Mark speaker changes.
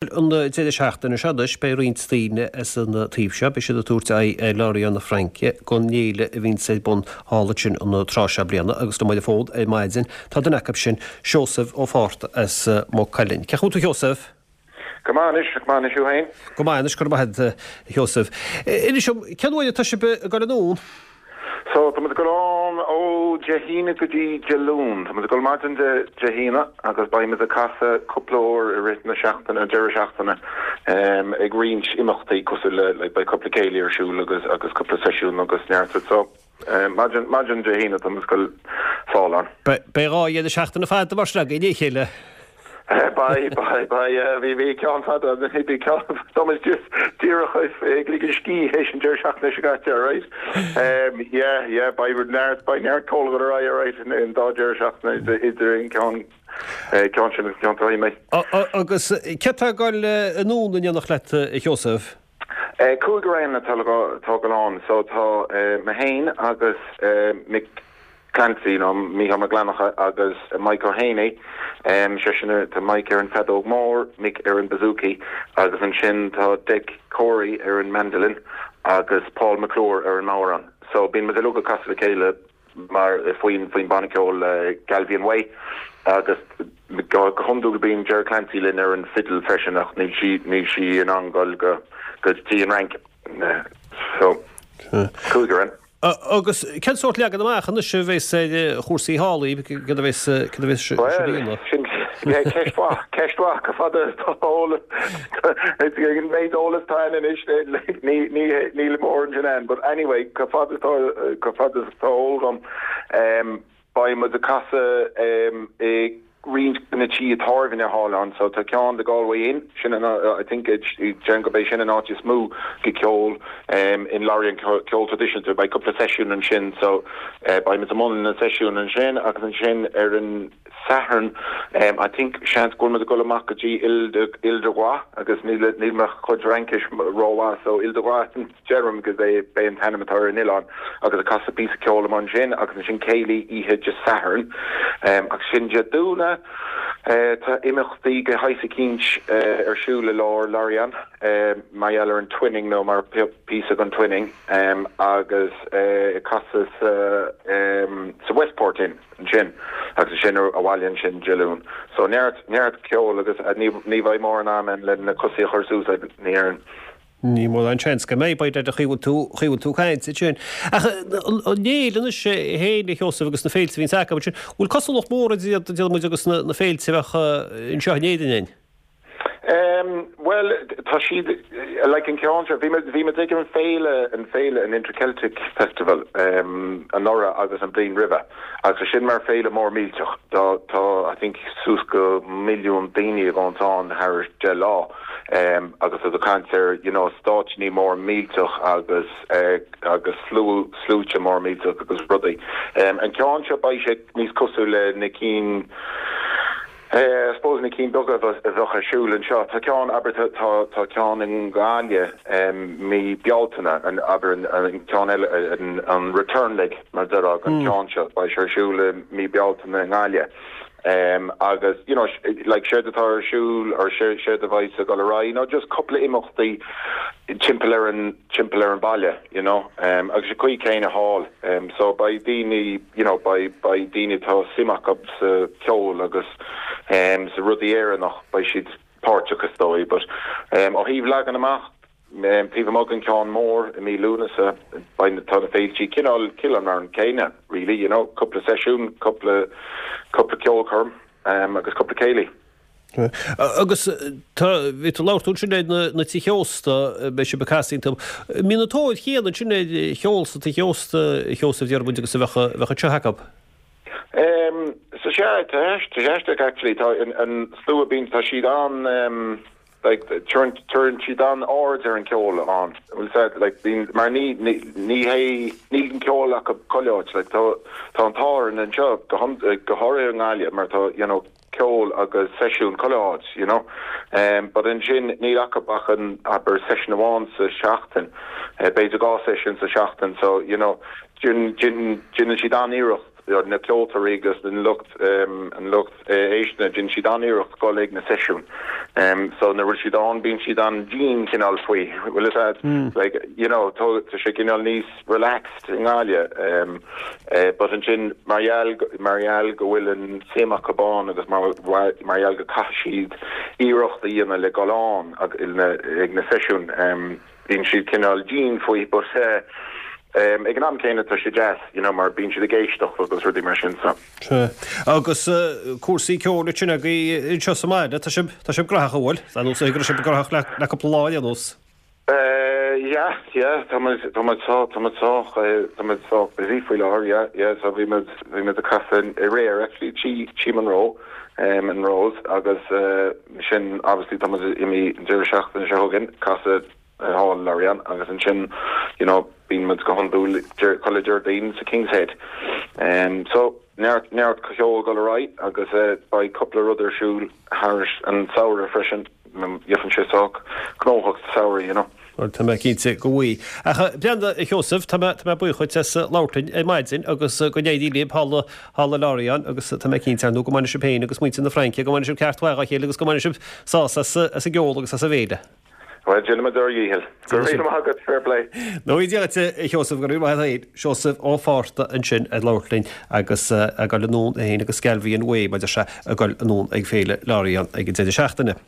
Speaker 1: An deireadh seachtaine seo anois beidh roinnt daoine as an taobh seo, beidh siad ag tabhairt aghaidh ar Lorient na Fraince don fhéile a bhíonns ar bun thall ansin an tráth seo bliana agus liom ar an bhfód ar maidin tá duine acu sin, Seosamh Ó Fátharta as Maigh Cuilinn. Cén chaoi a bhfuil tú a Sheosaimh?
Speaker 2: Go maith anois, go maith anois thú féin?
Speaker 1: Go maith anois, go raibh maith agat a Sheosaimh. Inis dom, cén uair atá sibh ag dul anonn?
Speaker 2: So, tá muid ag dul ann ó Dé hAoine go dtí Dé Luain. Tá muid ag dul maidin Dé Dé hAoine agus beidh muid ag casadh cúpla uair i rith na seachtaine, an deireadh seachtaine, ag roinnt imeachtaí cosúil le, like, beidh cúpla céilí ar siúl agus agus cúpla seisiún agus neart. So, maidin maidin Dé hAoine tá muid ag dul sall ann.
Speaker 1: Beidh 2 dheireadh seachtaine fada mar sin againn le chéile.
Speaker 2: Beidh, beidh, beidh, yeah, bhí, bhí ceann fada, bhí ceann, tá muid just díreach ag ligean scíth théis an deireadh seachtaine seo caite, alright? Um, yeah, yeah, beidh neart, beidh neart ceoil ag dul ar aghaidh, alright, in dá deireadh seachtaine idir an ceann, ceann sin agus ceann atá imithe.
Speaker 1: Agus cé atá ag dul anonn in éineacht leat, a Sheosaimh?
Speaker 2: Cúigear againn atá ag dul ann, so tá mé féin agus Mick Clancy, nó Mícheál Mac Fhlannchadha agus Mike Ó Héanaí, seisean, tá Mike ar an feadóg mór, Mick ar an bouzouki agus ansin tá Dec Corey ar an mandolin agus Paul McClure ar an mbodhrán. So bíonn muid uilig ag casadh le chéile mar faoin faoin banna ceoil Galvian Way agus go hiondúil bíonn Ger Clancy linn ar an fidil freisin ach níl sí níl sí in ann dul go go dtí an Fhrainc. So cúigear againn.
Speaker 1: Agus cén sórt leagan amach anois a bheas ar chúrsaí thall, céard a bheas céard a bheas sibh a
Speaker 2: Bhuel,
Speaker 1: dhéanamh?
Speaker 2: sin ceist mhaith, ceist mhaith, chomh fada is tá eolas, an méid eolas atá ann anois, ní, ní, níl mórán sin ann, but anyway, chomh fada is tá, chomh fada is atá eol dom, beidh muid ag casadh i roinnt de na tithe tábhairne thall ann. So tá ceann The Galway Inn, sin an, I think, déarfainn gurb é sin an áit is mó go ceol in Lorient, ceol traidisiúnta. Beidh cúpla seisiún ansin so beidh muid i mbun na seisiún ansin agus ansin ar an Satharn I think seans go bhfuil muid ag dul amach go dtí Île de, Île de Groix agus níl, níl mo chuid Fhraincis rómhaith so Île de Groix Deirim gurb é b'é an t-ainm atá ar an oileán agus ag casadh píosa ceoil amuigh ansin agus ansin céilí oíche Dé Sathairn agus ansin Dé Domhnaigh tá imeachtaí de shaghas eicínt ar siúl i lár Lorient mar gheall ar an Twinning nó mar píosa den Twinning agus ag casadh sa sa Westport Inn ansin agus ansin abhaile ansin Dé Luain. So neart neart ceoil agus ní ní bheidh mórán am ann le na cosaí a chur suas ní déarfainn.
Speaker 1: Ní mórán seans go mbeidh, b'fhéidir, an chaoi a bhfuil tú, chaoi a bhfuil tú ag caint ansin. Ach an fhéile anois féin, a Sheosaimh, agus na féilte a bhíonns acu ansin, bhfuil cosúlacht mhór idir iad, déarfaidh muid, agus na féilte a bheadh anseo in Éirinn againn?
Speaker 2: Bhuel, tá siad, like an ceann seo, bhí muid, bhí muid ag an féile, an féile, an Interceltic Festival anuraidh agus an bhliain roimhe agus sin mar féile mór millteach. Tá, tá, I think suas go milliún daoine ag gabháil ann thar 10 lá. agus iad ag caint ar you know stáitsí mór millteach agus agus slua sluaite mór millteach agus rudaí. An ceann seo beidh sé níos cosúil le na cinn I suppose na cinn beaga a bheadh ar siúl anseo. Tá ceann abair tá tá ceann i nGaillimh mí Bealtaine an abair an ceann eile an return leg mar a déarfá an ceann seo beidh sé ar siúl i mí Bealtaine i nGaillimh. Agus you know like séard atá ar siúl or séard a bheidh ag dul ar aghaidh nó just cúpla imeachtaí timpeall ar an timpeall ar an baile you know agus an chaoi céanna thall so beidh daoine you know beidh beidh daoine atá suim acu sa ceol agus sa rudaí Éireannach beidh siad páirteach is dóigh but ó thaobh leagan amach Taobh amuigh den ceann mór i mí Lúnasa, beidh tá na féiltí cineál cineál mar an céanna really, you know, cúpla seisiún, cúpla cúpla ceolchoirm agus cúpla céilí.
Speaker 1: Agus tá, bhí tú ag labhairt ansin ar na na tithe ósta, beidh sibh ag casadh iontu. Mbíonn an tóir chéanna ansin ar cheol sa tigh ósta, a Sheosaimh, déarfaidh muid, agus a bheadh a bheadh anseo acu?
Speaker 2: So sea, tá tá sé actually, tá an an slua bíonn, tá siad an like tabharann siad an-aird ar an ceol ann bhfuil a fhios agat like bíonn mar ní ní ní hé níl an ceol acu chuile áit like tá tá an t-ádh orainn anseo go go háirithe i nGaillimh mar tá you know ceol agus seisiún chuile áit you know um but ansin níl acu ach an abair seisiún amháin sa seachtain b'fhéidir 2 seisiún sa seachtain so you know déanann siad an-iarracht. na ceoltóirí agus an lucht an lucht éisteachta, déanann siad an-iarracht dul ag na seisiúin. So nuair a bhfuil siad ann bíonn siad an-dian cineál faoi, bhfuil fhios a'd? Like, you know, tá sé cineál níos relaxed i nGaillimh. But ansin mar gheall mar gheall go bhfuil an suim acu ann agus mar mar gheall go caithfidh siad iarracht a dhéanamh le dhul ann ag na seisiúin, Bíonn siad cineál dian faoi but ag an am céanna tá sé deas you know mar bíonn siad ag éisteacht agus rudaí mar sin so.
Speaker 1: Sea. Agus cúrsaí ceoil ansin agaibh anseo sa mbaile, tá sibh, tá sibh graitheach an bhfuil? Ar nós go raibh sibh graitheach le, le cúpla lá ar aon nós.
Speaker 2: Yeah, yeah, tá muid, tá muid sách, tá muid sách, tá muid sách busy faoi láthair, yeah, yeah, so bhí muid, bhí muid ag casadh aréir actually, Tí, Tí Monroe, in Rose agus Sin obviously tá muid imithe an deireadh seachtaine seo chugainn, casadh thall i Lorient agus ansin you know bíonn muid go hiondúil chuile Déardaoin sa King's Head. So neart neart ceoil dul ar aghaidh agus beidh cúpla rud ar siúl thar an samhradh freisin, gheobhann sé sách gnóthach sa samhradh you know.
Speaker 1: Bhuel, tá mé cinnte go bhfuil. Ach, a Bhreandáin, a Sheosaimh, tá mé, tá mé buíoch dhuit as labhairt linn ar maidin agus go n-éirí libh thall, thall i Lorient agus tá mé cinnte, ar ndóigh, go mbainfidh sibh féin agus muintir na Fraince, go mbainfidh sibh ceart mhaith dhá chéile agus go mbainfidh sibh sásamh as, as an gceol agus as an bhféile.
Speaker 2: Bhuel, déanfaimid ár dhícheall. Go raibh míle maith agat, fair play.
Speaker 1: Nó Dia dhuit, a Sheosaimh, go raibh maith agat féin. Seosamh Ó Fátharta ansin ag labhairt linn agus ag dul anonn é féin agus Galvey and Way, mar a deir sé, ag dul anonn ag Féile Lorient ag an deireadh seachtaine.